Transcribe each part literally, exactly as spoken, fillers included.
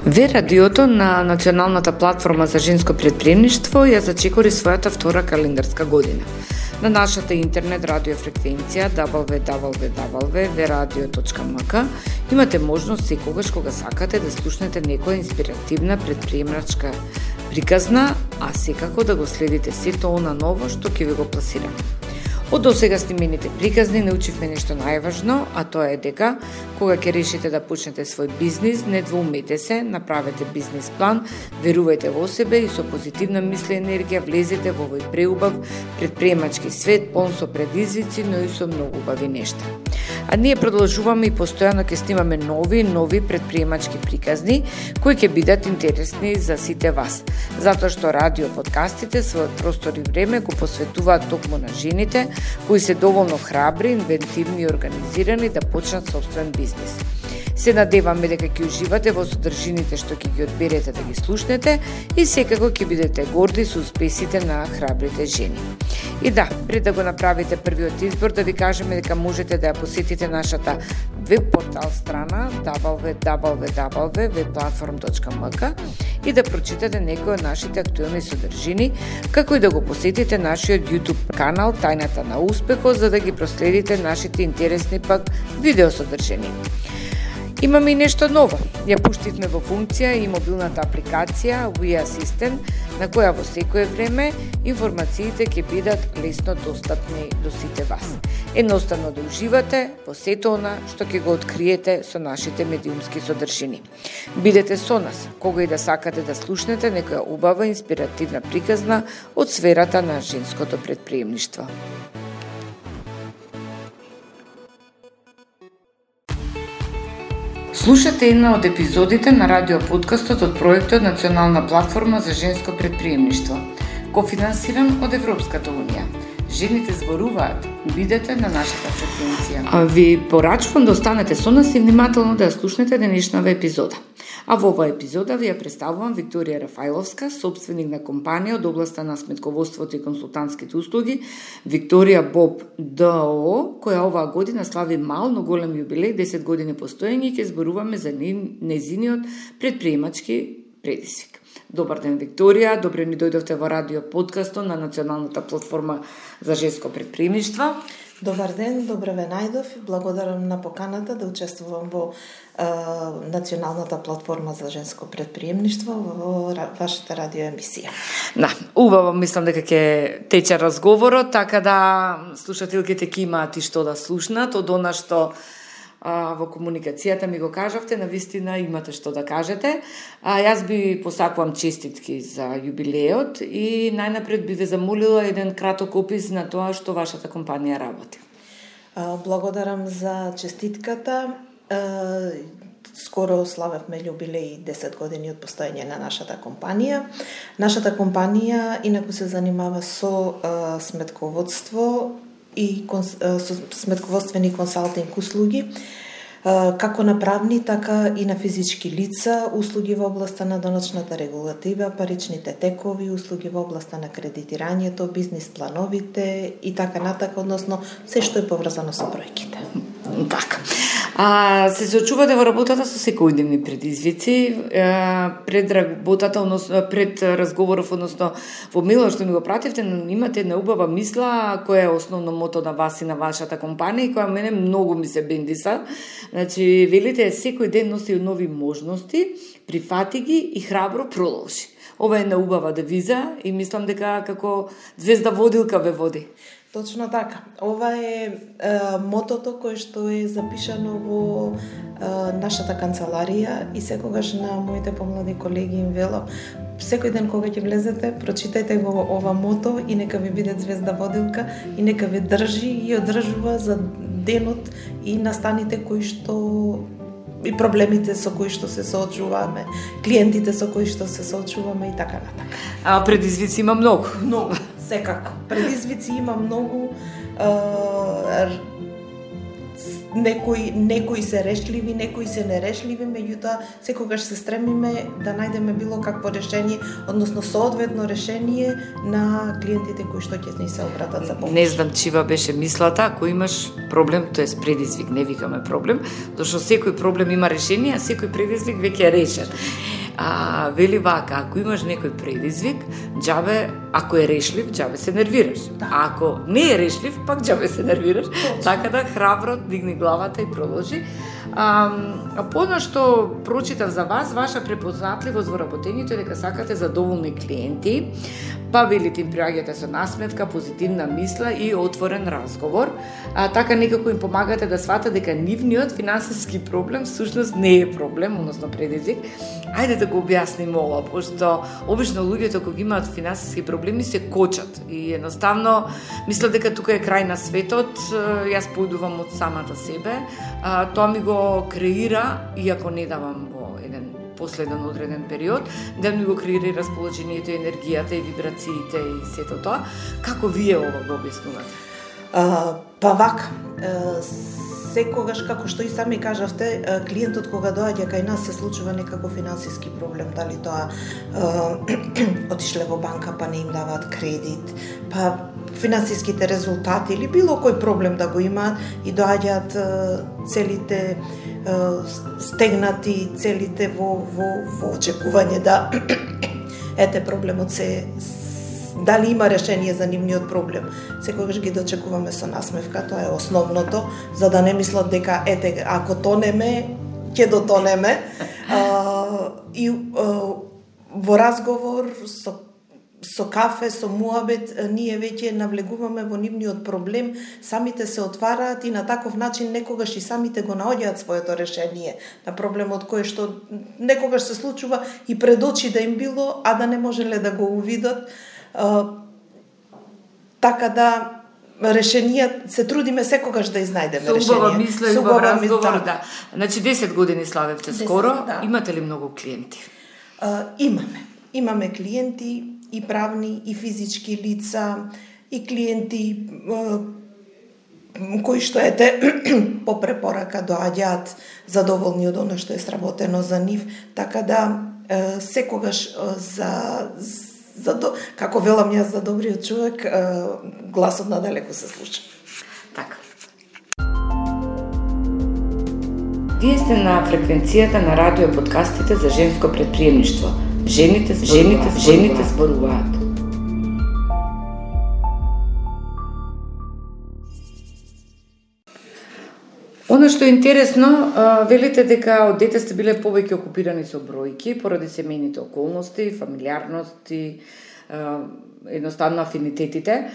Ве радиото на Националната платформа за женско претприемништво ја зачекори својата втора календарска година. На нашата интернет радиофреквенција дабл ю дабл ю дабл ю точка ве радио точка ем ка имате можност секогаш кога сакате да слушнете некоја инспиративна претприемачка приказна, а секако да го следите сето она ново што ќе ви го пласираме. Од досега снимените приказни научивме нешто најважно, а тоа е дека кога ќе решите да почнете свој бизнис, не двоумете се, направете бизнис план, верувајте во себе и со позитивна мисла и енергија влезете во овој преубав претприемачки свет, полн со предизвици, но и со многу убави нешта. А ние продолжуваме и постојано ќе снимаме нови нови претприемачки приказни кои ќе бидат интересни за сите вас, затоа што радио подкастите својот простор и време го посветуваат токму на жените кои се доволно храбри, инвентивни и организирани да почнат собствен бизнис. Се надеваме дека ќе уживате во содржините што ќе ги одберете да ги слушнете и секако ќе бидете горди со успесите на храбрите жени. И да, пред да го направите првиот избор, да ви кажеме дека можете да ја посетите нашата веб портал страна дабл ю дабл ю дабл ю точка ве платформ точка ем ка и да прочитате некои од нашите актуелни содржини, како и да го посетите нашиот YouTube канал Тајната на успехот за да ги проследите нашите интересни пак видео содржини. Имаме и нешто ново. Ја пуштивме во функција и мобилната апликација We Assistant, на која во секое време информациите ќе бидат лесно достапни до сите вас. Едноставно да уживате во сето она што ќе го откриете со нашите медиумски содржини. Бидете со нас, кога и да сакате да слушнете некоја убава инспиративна приказна од сферата на женското претприемништво. Слушате една од епизодите на радиоподкастот од проектот Национална платформа за женско претприемништво, кофинансиран од Европската унија. Жените зборуваат, бидете на нашата фреквенција. А ви порачувам да останете со нас и внимателно да ја слушнете денешнава епизода. А во оваа епизода ви ја представувам Викторија Рафаиловска, собственик на компанија од областа на сметководството и консултантските услуги, Викторија Боб ДОО, која оваа година слави мал, но голем јубилеј, десет години постоење и ќе зборуваме за нејзиниот претприемачки предизвик. Добар ден, Викторија, добре ни дојдовте во радио подкастот на Националната платформа за женско претприемништво. Добар ден, добре ве најдов и благодарам на поканата да учествувам во е, Националната платформа за женско претприемништво во вашата радиоемисија. Да, убаво мислам дека ќе тече разговорот, така да слушателките ќе имаат и што да слушнат од она што а, во комуникацијата ми го кажавте, навистина имате што да кажете. А, јас би посакувам честитки за јубилеот и најнапред би ве замолила еден краток опис на тоа што вашата компанија работи. Благодарам за честитката. Скоро славевме јубилеј десет години од постоење на нашата компанија. Нашата компанија инаку се занимава со сметководство и со сметководствени консалтинг услуги, како на правни, така и на физички лица, услуги во областа на даночната регулатива, паричните текови, услуги во областа на кредитирањето, бизнис плановите и така натака, односно се што е поврзано со бројките. Така. А се соочувате во работата со секојдневни предизвици, пред работата, односно пред разговоров, односно во мејлот што ми го пративте, имате една убава мисла која е основно мото на вас и на вашата компанија и која мене многу ми се бендиса. Значи, велите секој ден носи нови можности, прифати ги и храбро продолжи. Ова е една убава девиза и мислам дека како звезда водилка ве води. Точно така. Ова е, е мотото кое што е запишано во е, нашата канцеларија и секогаш на моите помлади колеги им велам, секој ден кога ќе влезете, прочитајте го ова мото и нека ви биде звезда водилка и нека ви држи и одржува за денот и настаните кои што и проблемите со кои што се соочуваме, клиентите со кои што се соочуваме и така натака. А предизвици има многу. Многу, секако. Предизвици има многу. Е, некои некои се решливи, некои се нерешливи, меѓутоа секогаш се стремиме да најдеме било какво решение, односно соодветно решение на клиентите кои што ќе ни се обратат за помош. Не знам чива беше мислата, ако имаш проблем, тоа е предизвик, не викаме проблем, зашто секој проблем има решение, а секој предизвик веќе е решен. А, вели вака, ако имаш некој предизвик, џабе, ако е решлив, џабе се нервираш. Да. А ако не е решлив, пак џабе се нервираш. Точно. Така да храбро дигни главата и продолжи. А, а подно што прочитав за вас, ваша препознатливост во работењето е дека сакате задоволни клиенти, па велите им приаѓате со насмевка, позитивна мисла и отворен разговор. А, така некако им помагате да сватат дека нивниот финансиски проблем всушност не е проблем, односно предизвик. Ајде да го објасниме ова, пошто обично луѓето кога имаат финансиски проблеми се кочат и едноставно мислат дека тука е крај на светот. Јас поидувам од самата себе. А, тоа ми го креира, иако не давам во еден последен одреден период, да ми го креира и расположението, енергијата и вибрациите и сето тоа. Како вие ова го објаснувате? А, па вака, секогаш, како што и сами кажавте, клиентот кога доаѓа кај нас се случува некако финансиски проблем, дали тоа отишле во банка па не им даваат кредит, па финансиските резултати или било кој проблем да го имаат и доаѓаат целите стегнати, целите во, во, во очекување да ете проблемот се дали има решение за нивниот проблем. Секогаш ги дочекуваме со насмевка, тоа е основното, за да не мислат дека ете ако тонеме, ќе дотонеме. А, и а, во разговор со со кафе, со муабет, ние веќе навлегуваме во нивниот проблем, самите се отвараат и на таков начин некогаш и самите го наоѓаат своето решение на проблемот кој што некогаш се случува и пред очи да им било, а да не можеле да го увидат. Uh, така да решенија се трудиме секогаш да изнајдеме решение. Со убава мисла и убав разговор, да. Значи десет години славевте скоро, да. Имате ли многу клиенти? Uh, имаме. Имаме клиенти и правни и физички лица и клиенти uh, кои што ете по препорака доаѓаат задоволни од оно што е сработено за нив, така да uh, секогаш uh, за За до, како велам јас за добриот човек, гласот надалеку се слуша. Така. Вие сте на фреквенцијата на радио подкастите за женско предприемништво. Жените, жените, жените зборуваат. Оно што е интересно, велите дека од дете сте биле повеќе окупирани со бројки поради семејните околности, фамилиарности, едноставно афинитетите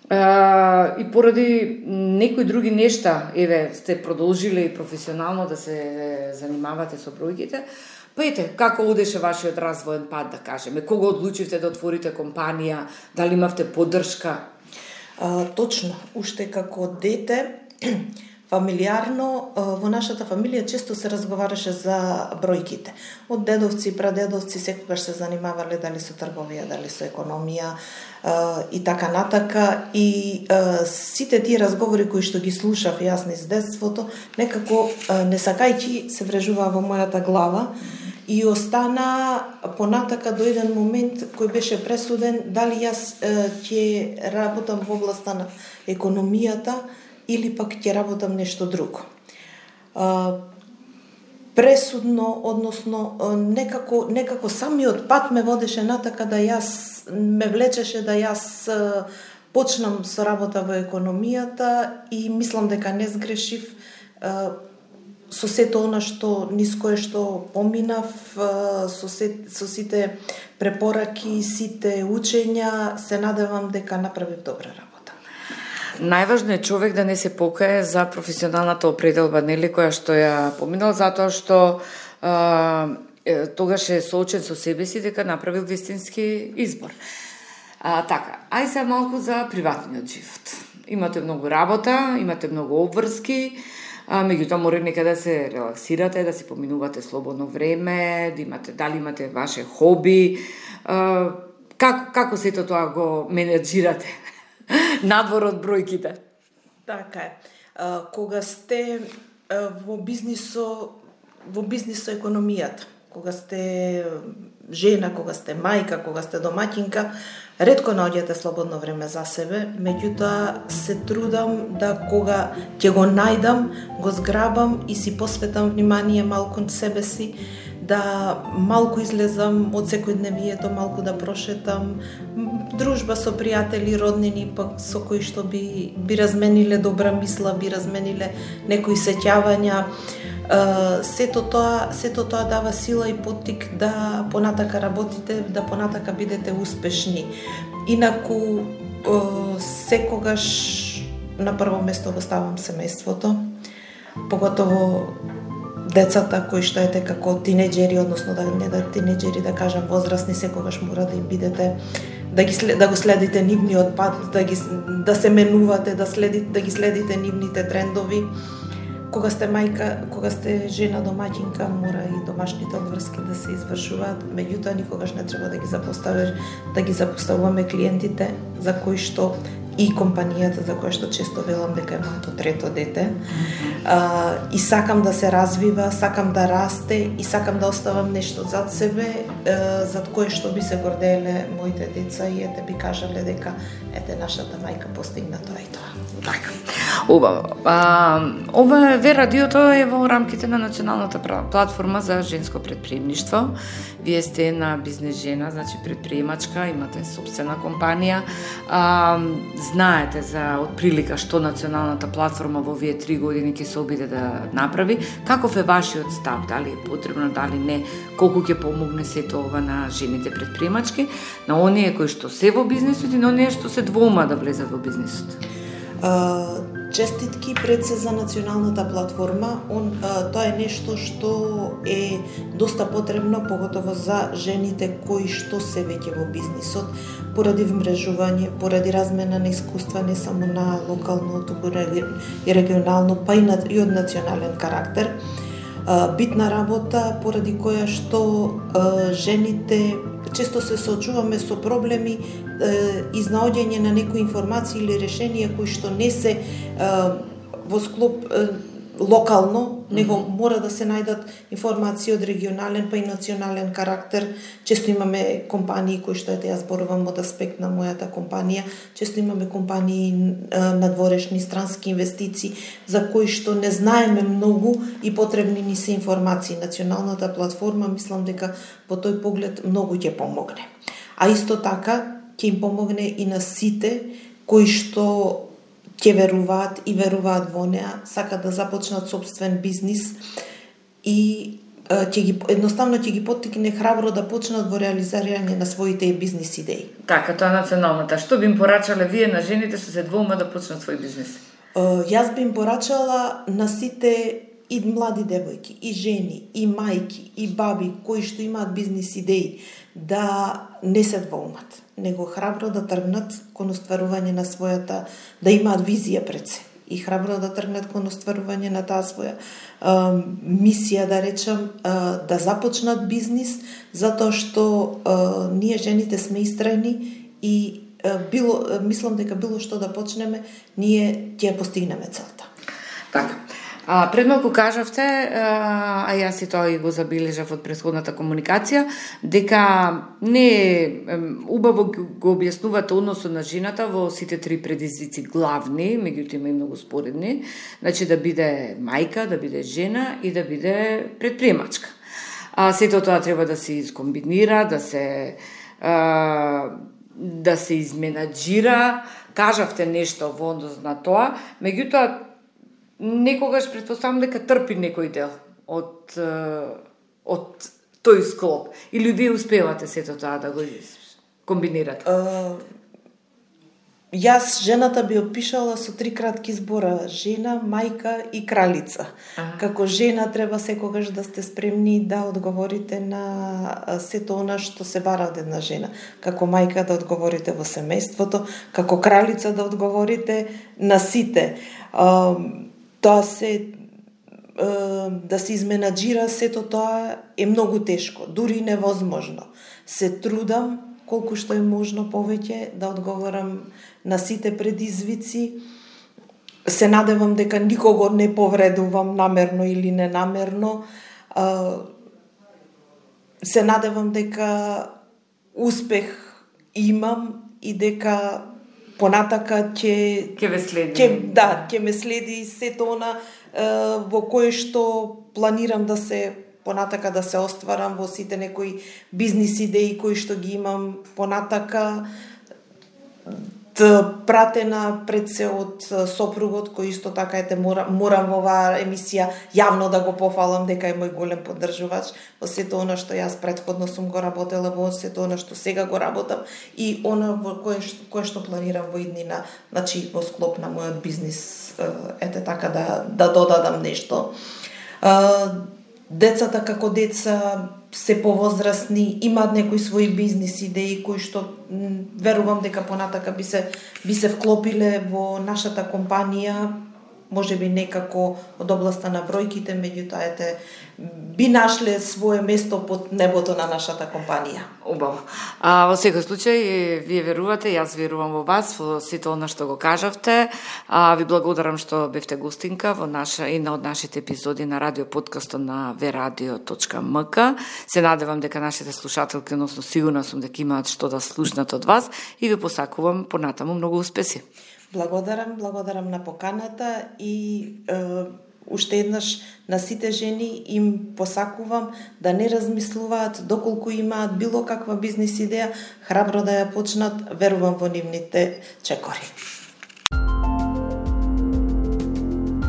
и поради некои други нешта, еве, сте продолжиле и професионално да се занимавате со бројките. Па ете, како одеше вашиот развоен пат, да кажеме? Кога одлучивте да отворите компанија? Дали имавте поддршка? А, точно, уште како дете фамилиарно, во нашата фамилија често се разговараше за бројките. Од дедовци, прадедовци секогаш се занимавале дали со трговија, дали со економија и така натака. И сите тие разговори кои што ги слушав јас низ детството, некако несакајќи се врежуваа во мојата глава и остана понатака до еден момент кој беше пресуден дали јас ќе работам во областа на економијата или пак ќе работам нешто друго. Пресудно, односно, некако, некако самиот пат ме водеше натака да јас, ме влечеше да јас почнам со работа во економијата и мислам дека не сгрешив со сето она што низ кое што поминав, со, се, со сите препораки, сите учења, се надевам дека направив добра работа. Најважно е човек да не се покае за професионалната определба, нели, која што ја поминал, затоа што а, тогаш е соочен со себе си дека направил вистински избор. А, така, ај се малку за приватниот живот. Имате многу работа, имате многу обврски, а, меѓутоа мора некаде да се релаксирате, да си поминувате слободно време, да имате, дали имате ваше хоби, а, како, како сето тоа го менеджирате? Надвор од бројките. Така е. А, кога сте а, во бизнисо, во бизнисо економијата, кога сте жена, кога сте мајка, кога сте домаќинка, ретко наоѓате слободно време за себе, меѓутоа се трудам да кога ќе го најдам, го зграбам и си посветам внимание малку на себе си, да малку излезам од секојдневието, малку да прошетам, дружба со пријатели, роднини, пак со кои што би, би размениле добра мисла, би размениле некои сеќавања. Uh, сето тоа, сето тоа дава сила и поттик да понатака работите, да понатака бидете успешни. Инаку, uh, секогаш на прво место го ставам семејството, поготово децата кои што ете како тинеџери, односно да не да тинеџери, да кажам возрастни, секогаш мора да им бидете, да ги да го следите нивниот пат, да ги да се менувате, да следите, да ги следите нивните трендови. Кога сте мајка, кога сте жена домаќинка, мора и домашните одврски да се извршуваат, меѓутоа никогаш не треба да ги запоставиш, да ги запоставуваме клиентите за кои што и компанијата за која што често велам дека е моето трето дете. А, и сакам да се развива, сакам да расте и сакам да оставам нешто зад себе, а, зад кое што би се горделе моите деца и ете би кажале дека ете нашата мајка постигна тоа и тоа. Така. Убаво. А, ова Ве радиото е во рамките на националната платформа за женско предприемништво. Вие сте една бизнес жена, значи предприемачка, имате собствена компанија. А, знаете за отприлика што националната платформа во овие три години ќе се обиде да направи. Каков е вашиот став? Дали е потребно, дали не? Колку ќе помогне сето ова на жените предприемачки, на оние кои што се во бизнисот и на оние што се двоума да влезат во бизнисот? Uh, честитки пред се за националната платформа. Он, uh, тоа е нешто што е доста потребно, поготово за жените кои што се веќе во бизнисот, поради вмрежување, поради размена на искуства не само на локално, туку и регионално, па и, на, и од национален карактер. Uh, битна работа, поради која што uh, жените често се соочуваме со проблеми, изнаоѓање на некои информации или решенија кои што не се во склоп локално, него mm -hmm. мора да се најдат информации од регионален па и национален карактер. Често имаме компании кои што ете јас зборувам од аспект на мојата компанија, често имаме компании надворешни странски инвестиции за кои што не знаеме многу и потребни ни се информации. Националната платформа мислам дека по тој поглед многу ќе помогне. А исто така ќе им помогне и на сите кои што ќе веруваат и веруваат во неа, сакат да започнат собствен бизнис и ќе ги едноставно ќе ги поттикне храбро да почнат во реализирање на своите бизнис идеи. Така, тоа националната. Што би им порачале вие на жените што се двоума да почнат свој бизнис? Јас би им порачала на сите и млади девојки, и жени, и мајки, и баби кои што имаат бизнис идеи да не се двоумат, него храбро да тргнат кон остварување на својата, да имаат визија пред се и храбро да тргнат кон остварување на таа своја а, мисија, да речам, а, да започнат бизнис, затоа што а, ние жените сме истрајни и а, било, мислам дека било што да почнеме, ние ќе постигнеме целта. Така. А, пред малку кажавте, а јас и тоа и го забележав од претходната комуникација, дека не убаво го објаснувате односот на жената во сите три предизвици главни, меѓутоа има и многу споредни, значи да биде мајка, да биде жена и да биде предприемачка. А сето тоа треба да се искомбинира, да се а, да се изменаџира, кажавте нешто во однос на тоа, меѓутоа некогаш претпоставам дека трпи некој дел од од тој склоп. Или вие успевате сето тоа да го комбинирате? Uh, јас жената би опишала со три кратки збора: жена, мајка и кралица. Ага. Како жена треба секогаш да сте спремни да одговорите на сето она што се бара од една жена. Како мајка да одговорите во семејството, како кралица да одговорите на сите. Uh, Тоа се да се изменаџира сето тоа е многу тешко, дури невозможно. Се трудам колку што е можно повеќе да одговорам на сите предизвици. Се надевам дека никого не повредувам намерно или ненамерно. се надевам дека успех имам и дека понатака ќе ќе ве следи. Ќе да, ќе ме следи сето она во кое што планирам да се понатака да се остварам во сите некои бизнис идеи кои што ги имам понатака, пратена пред се од сопругот кој исто така ете морам, морам во оваа емисија јавно да го пофалам дека е мој голем поддржувач во сето она што јас претходно сум го работела, во сето она што сега го работам и она во кое што, кое што планирам во иднина, значи во склоп на мојот бизнис, ете така да да додадам нешто. Децата како деца се повозрастни, имаат некои своји бизнис идеи кои што м, верувам дека понатака би се би се вклопиле во нашата компанија, можеби некако од областа на бројките, меѓутоа ете би нашле свое место под небото на нашата компанија. Убаво. А во секој случај вие верувате, јас верувам во вас, во сето она што го кажавте. А ви благодарам што бевте гостинка во наша и на од нашите епизоди на радио подкастот на ве радио точка ем ка. Се надевам дека нашите слушателки, односно сигурна сум дека имаат што да слушнат од вас и ви посакувам понатаму многу успеси. Благодарам, благодарам на поканата и е, уште еднаш на сите жени им посакувам да не размислуваат доколку имаат било каква бизнис идеја, храбро да ја почнат, верувам во нивните чекори.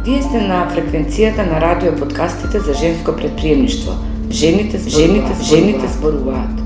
Вие сте на фреквенцијата на радио подкастите за женско предприемништво. Жените зборуваат. Жените зборуваат.